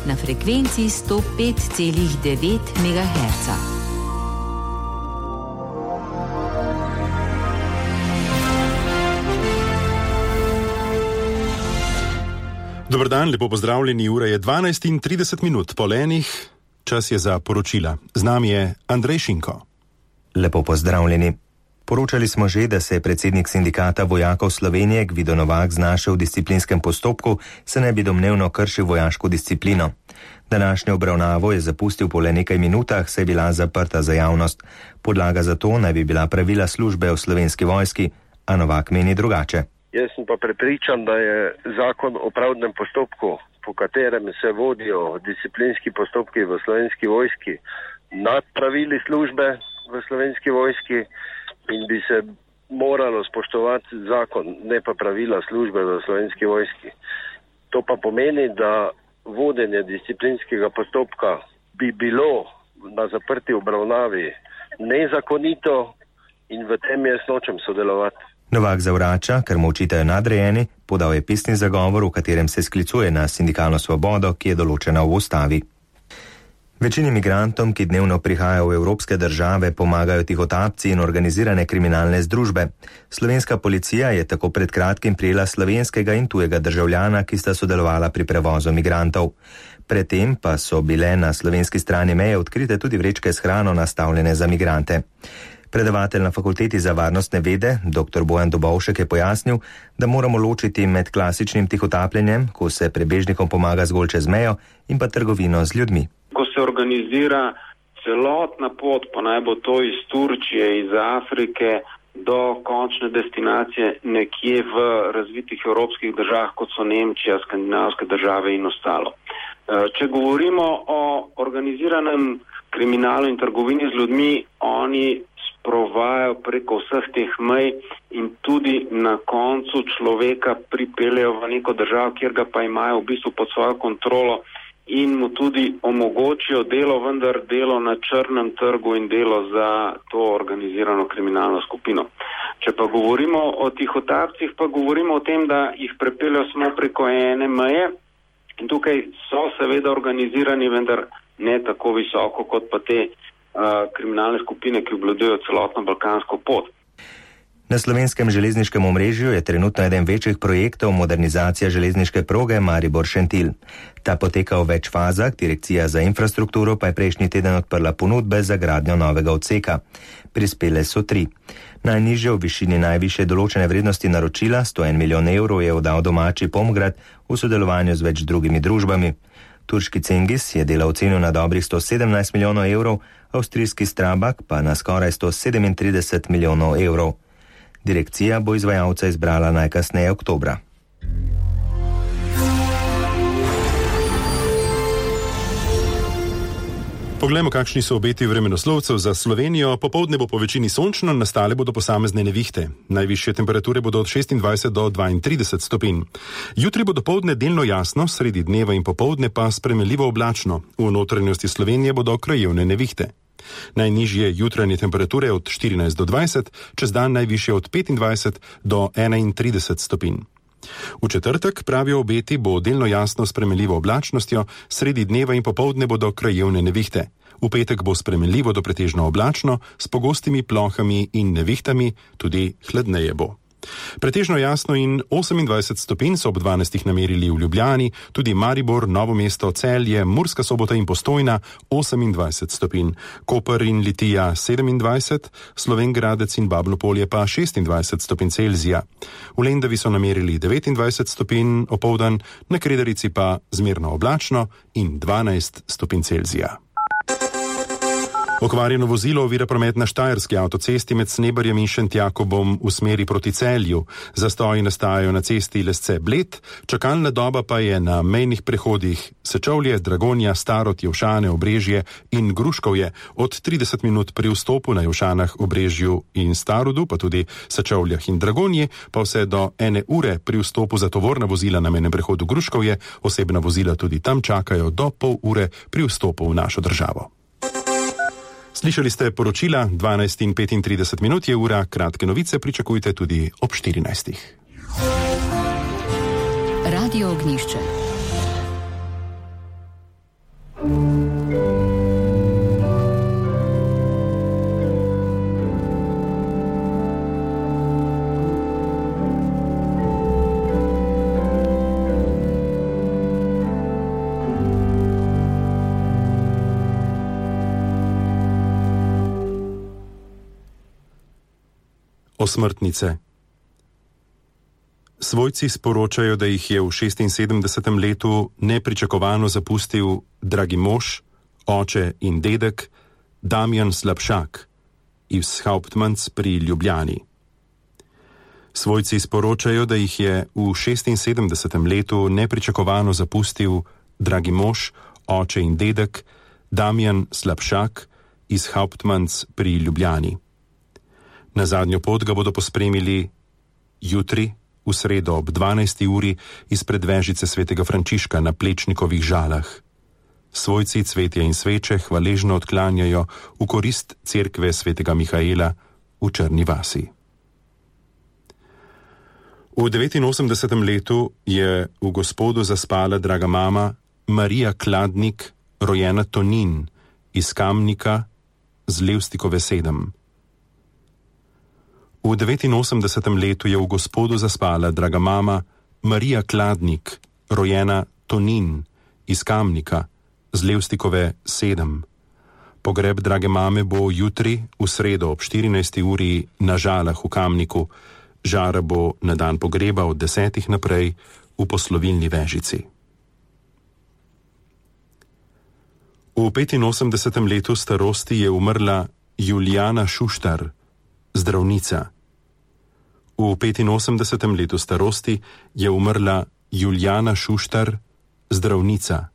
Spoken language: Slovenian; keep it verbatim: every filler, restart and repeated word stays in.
na frekvenci sto pet celih devet megaherca. Dober dan, lepo pozdravljeni, ura je dvanajst in trideset minut pol enih, čas je za poročila. Z nami je Andrej Šinko. Lepo pozdravljeni. Poročali smo že, da se je predsednik sindikata vojakov Slovenije Gvido Novak znašel v disciplinskem postopku, se ne bi domnevno kršil vojaško disciplino. Današnjo obravnavo je zapustil po le nekaj minutah, saj je bila zaprta za javnost. Podlaga za to naj bi bila pravila službe v Slovenski vojski, a Novak meni drugače. Jaz sem pa prepričan, da je zakon o pravdnem postopku, po katerem se vodijo disciplinski postopki v Slovenski vojski, nad pravili službe v Slovenski vojski in bi se moralo spoštovati zakon, ne pa pravila službe v Slovenski vojski. To pa pomeni, da vodenje disciplinskega postopka bi bilo na zaprti obravnavi nezakonito in v tem jaz nočem sodelovati. Novak zavrača, ker mu očitajo nadrejeni, podal je pisni zagovor, v katerem se sklicuje na sindikalno svobodo, ki je določena v ustavi. Večini migrantom, ki dnevno prihajajo v evropske države, pomagajo tihotapci in organizirane kriminalne združbe. Slovenska policija je tako pred kratkim prijela slovenskega in tujega državljana, ki sta sodelovala pri prevozu migrantov. Predtem pa so bile na slovenski strani meje odkrite tudi vrečke s hrano nastavljene za migrante. Predavatelj na Fakulteti za varnostne vede, dr. Bojan Dobovšek, je pojasnil, da moramo ločiti med klasičnim tihotapljenjem, ko se prebežnikom pomaga zgolj čez mejo, in pa trgovino z ljudmi. Ko se organizira celotna pot, pa naj bo to iz Turčije, iz Afrike do končne destinacije nekje v razvitih evropskih državah, kot so Nemčija, skandinavske države in ostalo. Če govorimo o organiziranem kriminalu in trgovini z ljudmi, oni sprovajajo preko vseh teh mej in tudi na koncu človeka pripeljejo v neko državo, kjer ga pa imajo v bistvu pod svojo kontrolo in mu tudi omogočijo delo, vendar delo na črnem trgu in delo za to organizirano kriminalno skupino. Če pa govorimo o tihotapcih, pa govorimo o tem, da jih prepeljejo samo preko ene meje in tukaj so seveda organizirani, vendar ne tako visoko kot pa te uh, kriminalne skupine, ki obvladujejo celotno balkansko pot. Na slovenskem železniškem omrežju je trenutno eden večjih projektov modernizacija železniške proge Maribor-Šentilj. Ta poteka v več fazah, Direkcija za infrastrukturo pa je prejšnji teden odprla ponudbe za gradnjo novega odseka. Prispele so tri. Najnižje v višini najvišje določene vrednosti naročila, sto en milijon evrov, je oddal domači Pomgrad v sodelovanju z več drugimi družbami. Turški Cengiz je delo ocenil na dobrih sto sedemnajst milijonov evrov, avstrijski Strabag pa na skoraj sto sedemintrideset milijonov evrov. Direkcija bo izvajalca izbrala najkasneje oktobra. Poglejmo, kakšni so obeti vremenoslovcev za Slovenijo. Popoldne bo po večini sončno, nastale bodo posamezne nevihte. Najvišje temperature bodo od šestindvajset do dvaintrideset stopinj. Jutri bo dopoldne delno jasno, sredi dneva in popoldne pa spremenljivo oblačno. V notranjosti Slovenije bodo krajevne nevihte. Najnižje jutranje temperature od štirinajst do dvajset, čez dan najvišje od petindvajset do enaintrideset stopinj. V četrtek, pravijo obeti, bo delno jasno s spremenljivo oblačnostjo, sredi dneva in popoldne bodo krajevne nevihte. V petek bo spremenljivo do pretežno oblačno, s pogostimi plohami in nevihtami, tudi hladneje bo. Pretežno jasno in osemindvajset stopinj so ob dvanajstih namerili v Ljubljani, tudi Maribor, Novo mesto, Celje, Murska Sobota in Postojna osemindvajset stopinj, Koper in Litija sedemindvajset, Slovenj Gradec in Babno Polje pa šestindvajset stopinj Celzija. V Lendavi so namerili devetindvajset stopinj opoldan, na Kredarici pa zmerno oblačno in dvanajst stopinj Celzija. Okvarjeno vozilo ovira promet na Štajerski avtocesti med Snebarjem in Šentjakobom v smeri proti Celju. Zastoji nastajajo na cesti Lesce-Bled, čakalna doba pa je na mejnih prehodih Sečovlje, Dragonja, Starod, Jevšane, Obrežje in Gruškovje od trideset minut pri vstopu na Jevšanah, Obrežju in Starodu, pa tudi Sečovljah in Dragonji, pa vse do ene ure pri vstopu za tovorna vozila na mejnem prehodu Gruškovje, osebna vozila tudi tam čakajo do pol ure pri vstopu v našo državo. Slišali ste poročila, dvanajst in petintrideset minut je ura, kratke novice pričakujte tudi ob štirinajstih. Radio Ognjišče. Osmrtnice. Svojci sporočajo, da jih je v šestinsedemdesetem letu nepričakovano zapustil dragi mož, oče in dedek Damjan Slapšak iz Hauptmanns pri Ljubljani. Svojci sporočajo, da jih je v šestinsedemdesetem letu nepričakovano zapustil dragi mož, oče in dedek Damjan Slapšak iz Hauptmanns pri Ljubljani. Na zadnjo pot ga bodo pospremili jutri, v sredo ob dvanajsti uri izpred vežice svetega Frančiška na Plečnikovih Žalah. Svojci cvetje in sveče hvaležno odklanjajo v korist cerkve svetega Mihaela v Črni vasi. V devetinosemdesetem letu je v Gospodu zaspala draga mama Marija Kladnik, rojena Tonin, iz Kamnika z Levstikove sedem. V devetinosemdesetem letu je v Gospodu zaspala draga mama Marija Kladnik, rojena Tonin, iz Kamnika z Levstikove sedem. Pogreb drage mame bo jutri, v sredo ob štirinajsti uri na Žalah v Kamniku. Žara bo na dan pogreba od desetih naprej v poslovilni vežici. V petinosemdesetem letu starosti je umrla Julijana Šuštar, zdravnica. V petinosemdesetem letu starosti je umrla Julijana Šuštar, zdravnica.